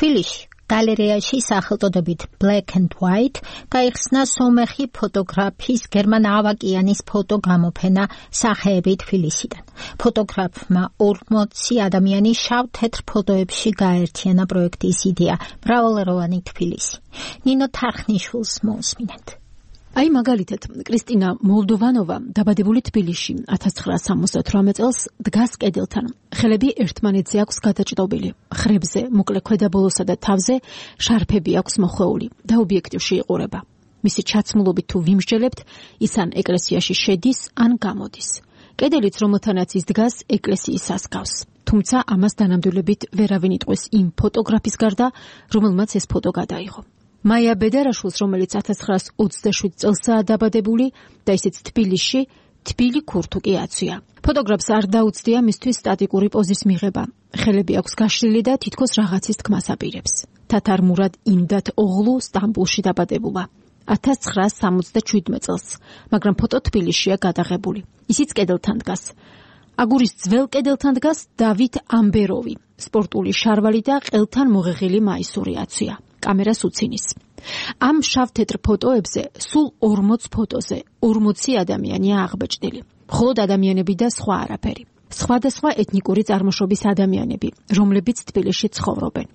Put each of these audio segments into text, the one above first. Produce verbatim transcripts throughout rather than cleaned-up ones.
თბილისში გალერეაში სახელწოდებით Black and White გაიხსნა სომეხი ფოტოგრაფის გერმან ავაკიანის ფოტო გამოფენა სახეები თბილისიდან. ფოტოგრაფმა ორმოცი ადამიანი შავ-თეთრ ფოტოებში გააერთიანა პროექტის იდეა მრავალეროვანი თბილისი. ნინო თარხნიშვილს მოусმინეთ. აი მაგალითად, კრისტინა მოლდოვანოვა დაბადებული თბილისში ათას ცხრაას სამოცდათვრამეტ წელს დგას კედელთან. ხელები ერთმანეთზე აქვს გადაჭდობილი. ხრებზე, მოკლე ქვედაბოლოსა და თავზე შარფები აქვს მოხვეული და ობიექტივში იყურება. მისი ჩაცმულობით თუ ვიმსჯელებთ, ის ან ეკლესიაში შედის, ან გამოდის. კედელიც რომელთანაც ის დგას, ეკლესიის ასკავს. თუმცა ამას დანამდვილებით ვერავინ იტყვის იმ ფოტოგრაფის გარდა, რომელმაც ეს ფოტო გადაიღო. მაია ბედარაშვილს, რომელიც ათას ცხრაას ოცდაშვიდ წელსაა დაბადებული და ისიც თბილისში, თბილი ქურთუკი აცვია. ფოტოგრაფს არ დაუცდია მისთვის სტატიკური პოზის მიღება. ხელები აქვს გაშლილი და თითქოს რაღაცის თქმას აპირებს. თათარ მურად იმდათ ოღლუ სტამბულში დაბადებულა. ათას ცხრაას სამოცდაშვიდმეტ წელს, მაგრამ ფოტო თბილისშია გადაღებული. ისიც კედელთან დგას. აგურის ძველ კედელთან დგას დავით ამბეროვი, სპორტული შარვალი და ყელთან მოღეღილი მაისური აცვია. კამერას უცინის. ამ შავ-თეთრ ფოტოებზე სულ ორმოც ფოტოზე ორმოცი ადამიანია აღბეჭდილი. მხოლოდ ადამიანები და სხვა არაფერი. სხვადასხვა ეთნიკური წარმოშობის ადამიანები, რომლებიც თბილისში ცხოვრობენ.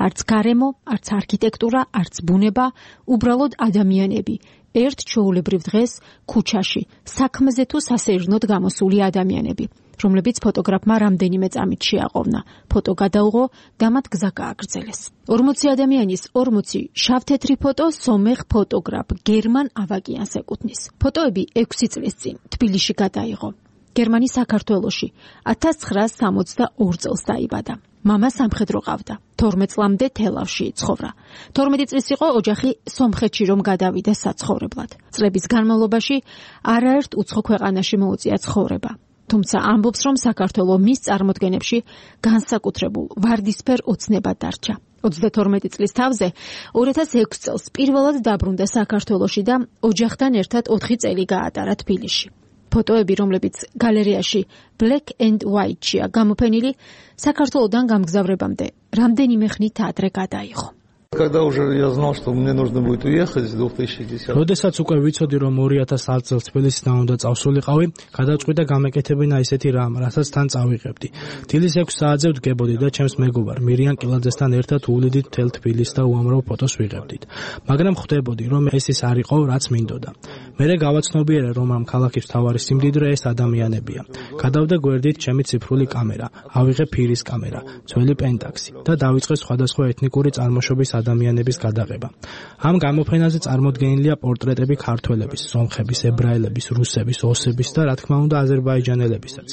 არც გარემო, არც არქიტექტურა, არც ბუნება, უბრალოდ ადამიანები. ერთ ჩვეულებრივ დღეს ქუჩაში, საქმეზე თუ სასეირნოდ გამოსული ადამიანები, რომლებიც ფოტოგრაფმა რამდენიმე წამით შეაყოვნა. ფოტო გადაუღო და მათ გზა გააგრძელეს. ორმოცი ადამიანის ორმოცი შავ-თეთრი ფოტო სომეხ ფოტოგრაფ გერმან ავაკიანს ეკუთვნის. ფოტოები ექვსი წლის წინ თბილისში გადაიღო. გერმანი საქართველოში ათას ცხრაას სამოცდაორ წელს დაიბადა. მამა სამხედრო ყავდა. თორმეტ წლამდე თელავში იცხოვრა. თორმეტი წლის იყო ოჯახი სომხეთში რომ გადავიდა საცხოვრებლად. წლების განმავლობაში არაერთ უცხო ქვეყანაში მოუწია ცხოვრება. თუმცა ამბობს, რომ საქართველო მის წარმოდგენებში განსაკუთრებულ ვარდისფერ ოცნებად დარჩა. ოცდათორმეტი წლის თავზე ორი ათას ექვსი წელს პირველად დაბრუნდა საქართველოში და ოჯახთან ერთად ოთხი წელი გაატარა თბილისში. ფოტოები, რომლებიც გალერეაში Black and White-ია გამოფენილი, საქართველოდან გამგზავრებამდე რამდენიმე ხნით ადრე გადაიღო. Когда уже я знал, что мне нужно будет уехать в две тысячи десятом. როდესაც უკვე ვიცოდი, რომ ორი ათას ათი წელს თბილისიდან უნდა წავსულიყავი, გადავწყვიტე გამეკეთებინა ისეთი რამ, რასაც თან წავიღებდი. დილის ექვს საათზე ვდგებოდი და ჩემს მეგობარ მირიან კილაძესთან ერთად უვლიდით მთელ თბილისს და უამრავ ფოტოს ვიღებდით. მაგრამ ხვდებოდი, რომ ეს ის არ იყო, რაც მინდოდა. მერე გავაცნობიერე, რომ ამ ქალაქის მთავარი სიმდიდრე ეს ადამიანებია. გადავდე გვერდით ჩემი ციფრული კამერა, ავიღე ფირის კამერა, ძველი პენტაქსი და დავიწყე სხვადასხვა ეთნიკური წარმოშობის ადამიანების გადაღება. ამ გამოფენაზე წარმოდგენილია პორტრეტები ქართველების, სომხების, ებრაელების, რუსების, ოსების და რა თქმა უნდა აზერბაიჯანელებისაც.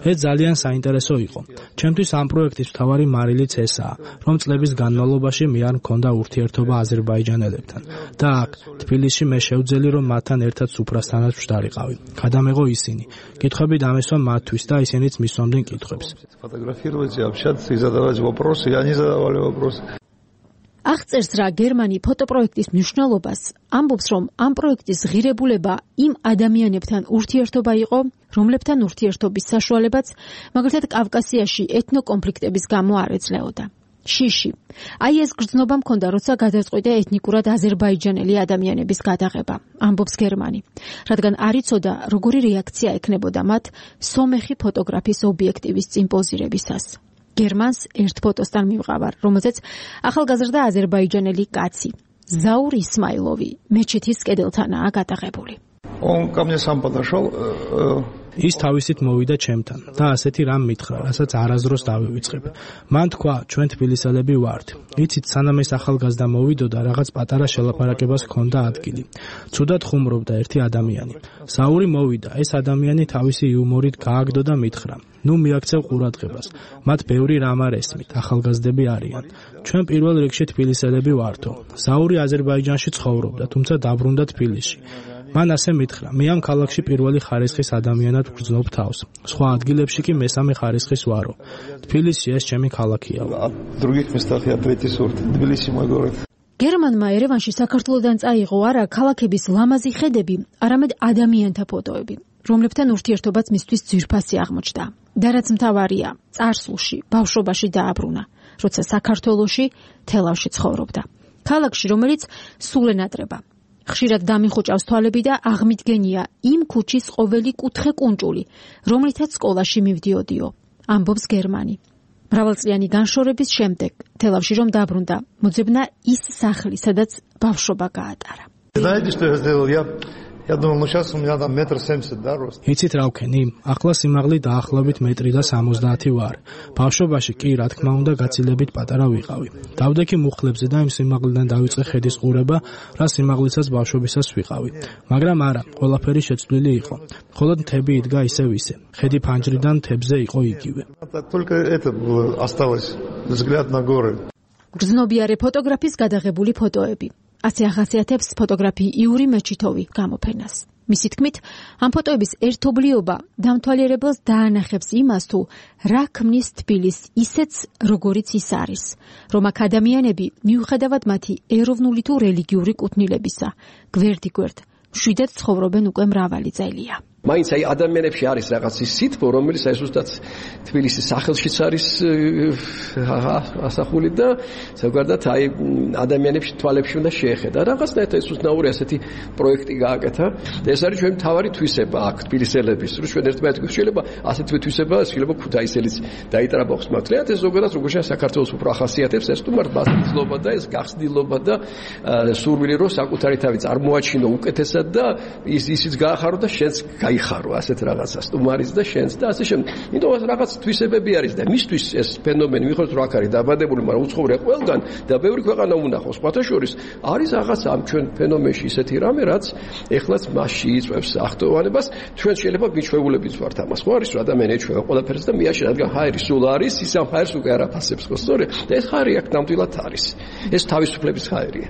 ეს ძალიან საინტერესო იყო. ჩემთვის ამ პროექტის მთავარი მარილიც ესაა, რომ წლების განმავლობაში მე არ მქონდა ურთიერთობა აზერბაიჯანელებთან და აქ თბილისში მე შევძელი რომ მათთან ერთად სუფრასთანაც ვშდარიყავი. გადამეღო ისინი. კითხვები დამესვა მათთვის და ისინიც მისვამდნენ კითხვებს. Фотографировать, общаться и задавать вопросы, и они задавали вопросы. აღწერს რა გერმანი ფოტოპროექტის მნიშვნელობას, ამბობს, რომ ამ პროექტის ღირებულება იმ ადამიანებთან ურთიერთობა იყო, რომლებთან ურთიერთობის საშუალებაც, მაგალითად კავკასიაში ეთნოკონფლიქტების გამო არ ეძლეოდა. შიში. აი ეს გრძნობა მქონდა, როცა გადაწყვიტა ეთნიკურად აზერბაიჯანელი ადამიანების გადაღება, ამბობს გერმანი, რადგან არ იცოდა, როგორი რეაქცია ექნებოდა მათ სომეხი ფოტოგრაფის ობიექტივის წინ პოზირებისას. გერმანს ერთ ფოტოსთან მივყავარ, რომელზეც ახალგაზრდა აზერბაიჯანელი კაცი, ზაურ ისმაილოვი, მეჩეთის კედელთანაა გადაღებული. Он ко мне сам подошел. ის თავისით მოვიდა ჩემთან და ასეთი რამ მითხრა, რასაც არასდროს დავივიწყებ. მან თქვა, ჩვენ თბილისელები ვართ. იცით, სანამ ეს ახალგაზრდა მოვიდოდა, რაღაც პატარა შელაპარაკებას ჰქონდა ადგილი. ცუდად ხუმრობდა ერთი ადამიანი. საური მოვიდა, ეს ადამიანი თავისი იუმორით გააგდო და მითხრა: ნუ მიაქცევ ყურადღებას. მათ ბევრი რამ არ ესმით, ახალგაზრდები არიან. ჩვენ პირველ რიგში თბილისელები ვართო. საური აზერბაიჯანში ცხოვრობდა, თუმცა დაბრუნდა თბილისში. მან ასე მითხრა: მე ამ ქალაქში პირველი ხარისხის ადამიანად ვგრძნობ თავს. სხვა ადგილებში კი მესამე ხარისხის ვარო. თბილისი ეს ჩემი ქალაქია. გერმანმა ერევანში საქართველოდან წაიღო არა ქალაქების ლამაზი ხედები, არამედ ადამიანთა ფოტოები, რომლებთან ურთიერთობაც მისთვის ძვირფასი აღმოჩნდა. და რაც მთავარია, წარსულში, ბავშვობაში დააბრუნა. როცა საქართველოში თელავში ცხოვრობდა. ქალაქში, რომელიც სულ ენატრება. ხშირად დამიხუჭავს თვალები და აღმიდგენია იმ ქუჩის ყოველი კუთხე კუნჭული, რომლითაც სკოლაში მივდიოდიო, ამბობს გერმანი. მრავალწლიანი განშორების შემდეგ თელავში რომ დაბრუნდა, მოძებნა ის სახლი, სადაც ბავშვობა გაატარა. Знаете, что я сделал? Я Я думал, ну сейчас у меня там метр семьдесят, да, рост. იცით რა ვქენი? ახლა სიმაღლე დაახლოებით მეტრი და სამოცდაათი ვარ. ბავშვობაში კი, რა თქმა უნდა, გაცილებით პატარა ვიყავი. დავდექი მუხლებზე და იმ სიმაღლიდან დავიწყე ხედის ყურება, რა სიმაღლესაც ბავშვობისას ვიყავი. მაგრამ არა, ყველაფერი შეცვლილი იყო. მხოლოდ მთები იდგა ისევ ისე. ხედი ფანჯრიდან მთებზე იყო იგივე. Только это было осталось, взгляд на горы. გრძნობიარე ფოტოგრაფის გადაღებული ფოტოები. ასე ახასიათებს ფოტოგრაფი იური მეჩითოვი გამოფენას. მისი თქმით, ამ ფოტოების ერთობლიობა დამთვალიერებელს დაანახებს იმას, თუ რა ქმნის თბილისს ისეც, როგორიც ის არის, რომ აქ ადამიანები, მიუხედავად მათი ეროვნული თუ რელიგიური კუთვნილებისა, გვერდიგვერდ მშვიდად ცხოვრობენ უკვე მრავალი წელია. მაინც აი ადამიანებში არის რაღაც ის სითბო, რომელიც აი ზუსტად თბილისის სახელშიც არის ასახული და ზოგადად აი ადამიანებში თვალებში უნდა შეეხედა. რაღაცნაირად ეს უცნაური ასეთი პროექტი გააკეთა და ეს არის ჩვენი მთავარი თვისება აქ თბილისელების, რომ ჩვენ ერთმანეთს შეიძლება ასეთი თვისება, შეიძლება ქუთაისელიც დაიტრაბახოს მაგრამ ეს ზოგადად როგორც საქართველოს უფრო ახასიათებს ეს თუმარ ბაზისლობა და ეს გახსნილობა და სურვილი რომ საკუთარი თავი წარმოაჩინო უკეთესად და ის ისიც გაახარო და შენც იხარო ასეთ რაღაცას სტუმარის და შენს და ასე შემდეგ. იმიტომ რომ რაღაც თვისებები არის და მისთვის ეს ფენომენი მიხოთ რომ აქ არის დაბადებული, მაგრამ უცხოვრია ყველგან და ბევრი ქვეყანა უნახავს. სხვათა შორის არის რაღაც ამ ჩვენ ფენომენში ისეთი რამე, რაც ეხლაც მასში იწვევს ახტოვანებას. ჩვენ შეიძლება მიჩვეულებიც ვართ ამას. ხო არის რომ ადამიანი ეჩვევა ყველაფერს და მიაშენ, რადგან ჰაერი სულ არის, ის ამ ჰაერს უკვე არ აფასებს, ხო სწორედ? და ეს ჰაერი აქ ნამდვილად არის. ეს თავისუფლების ჰაერია.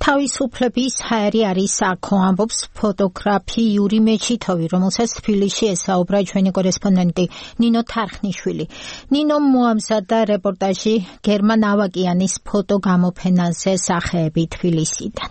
თავისუფლების ჰაერი არის აქო, ამბობს ფოტოგრაფი იური მეჩითოვი, რომელსაც თბილისში ესაუბრა ჩვენი კორესპონდენტი ნინო თარხნიშვილი. ნინო მოამზადა რეპორტაჟი გერმან ავაკიანის ფოტოგამოფენაზე სახეები თბილისიდან.